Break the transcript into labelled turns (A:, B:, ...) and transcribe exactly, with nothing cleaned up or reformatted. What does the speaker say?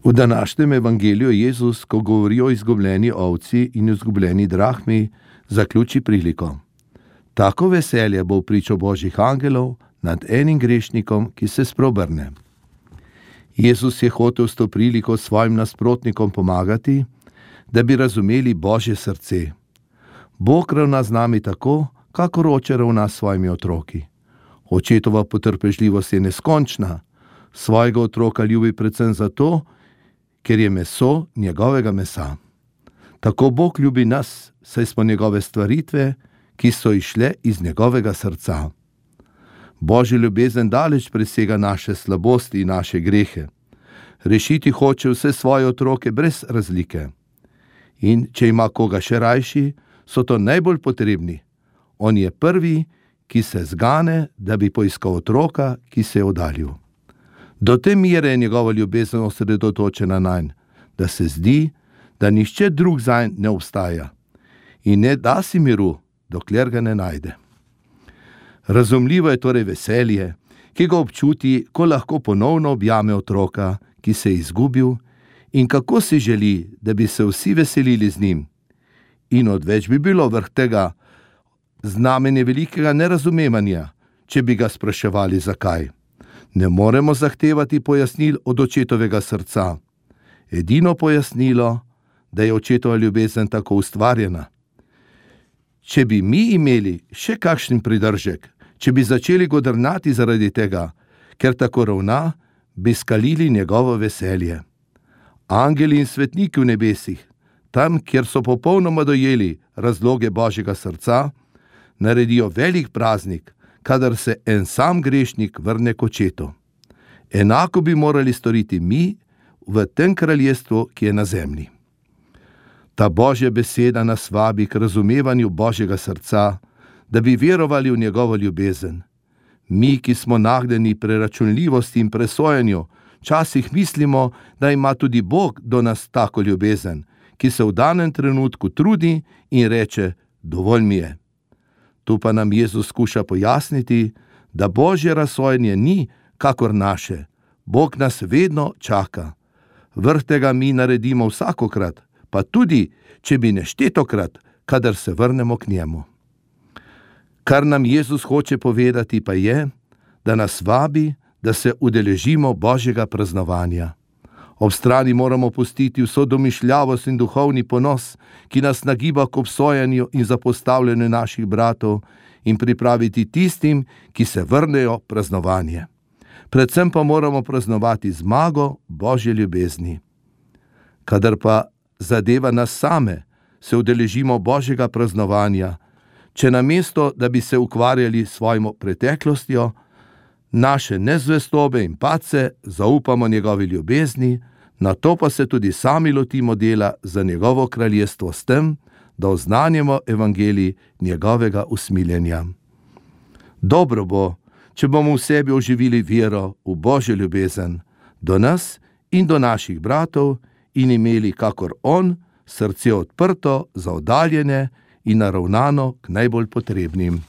A: V današnjem evangeliju Jezus, ko govori o izgubljeni ovci in izgubljeni drahmi, zaključi priliko. Tako veselje bo v pričo Božjih angelov nad enim grešnikom, ki se spreobrne. Jezus je hotel s to priliko svojim nasprotnikom pomagati, da bi razumeli Božje srce. Bog ravna z nami tako, kakor oče ravna s svojimi otroki. Očetova potrpežljivost je neskončna, svojega otroka ljubi predvsem zato, ker je meso njegovega mesa. Tako Bog ljubi nas, saj smo njegove stvaritve, ki so išle iz njegovega srca. Božja ljubezen daleč presega naše slabosti in naše grehe. Rešiti hoče vse svoje otroke brez razlike. In če ima koga še rajši, so to najbolj potrebni. On je prvi, ki se zgane, da bi poiskal otroka, ki se je oddaljil. Do te mere je njegova ljubezen osredotočena nanj, da se zdi, da nihče drug zanj ne obstaja in ne da si miru, dokler ga ne najde. Razumljivo je torej veselje, ki ga občuti, ko lahko ponovno objame otroka, ki se je izgubil, in kako si želi, da bi se vsi veselili z njim. In odveč bi bilo vrh tega znamenje velikega nerazumevanja, če bi ga spraševali zakaj. Ne moremo zahtevati pojasnil od očetovega srca. Edino pojasnilo, da je očetova ljubezen tako ustvarjena. Če bi mi imeli še kakšen pridržek, če bi začeli godrnati zaradi tega, ker tako ravna, bi skalili njegovo veselje. Angeli in svetniki v nebesih, tam, kjer so popolnoma dojeli razloge Božjega srca, naredijo velik praznik, kadar se en sam grešnik vrne k očetu. Enako bi morali storiti mi v tem kraljestvu, ki je na zemlji. Ta Božja beseda nas vabi k razumevanju Božjega srca, da bi verovali v njegovo ljubezen. Mi, ki smo nagnjeni preračunljivosti in presojanju, včasih mislimo, da ima tudi Bog do nas tako ljubezen, ki se v danem trenutku trudi in reče, dovolj mi je. Tu pa nam Jezus skuša pojasniti, da Božje razsojanje ni kakor naše. Bog nas vedno čaka. Vrh tega mi naredimo vsakokrat, pa tudi, če bi neštetokrat, kadar se vrnemo k njemu. Kar nam Jezus hoče povedati pa je, da nas vabi, da se udeležimo Božjega praznovanja. Ob strani moramo pustiti vso domišljavost in duhovni ponos, ki nas nagiba k obsojanju in zapostavljanju naših bratov, in pripraviti tistim, ki se vrnejo praznovanje. Predvsem pa moramo praznovati zmago Božje ljubezni. Kadar pa zadeva nas same, se udeležimo Božjega praznovanja, če namesto, da bi se ukvarjali s svojo preteklostjo, naše nezvestobe in padce zaupamo njegovi ljubezni, nato pa se tudi sami lotimo dela za njegovo kraljestvo s tem, da oznanjamo evangelij njegovega usmiljenja. Dobro bo, če bomo v sebi oživili vero v Božjo ljubezen do nas in do naših bratov in imeli, kakor on, srce odprto za oddaljene in naravnano k najbolj potrebnim.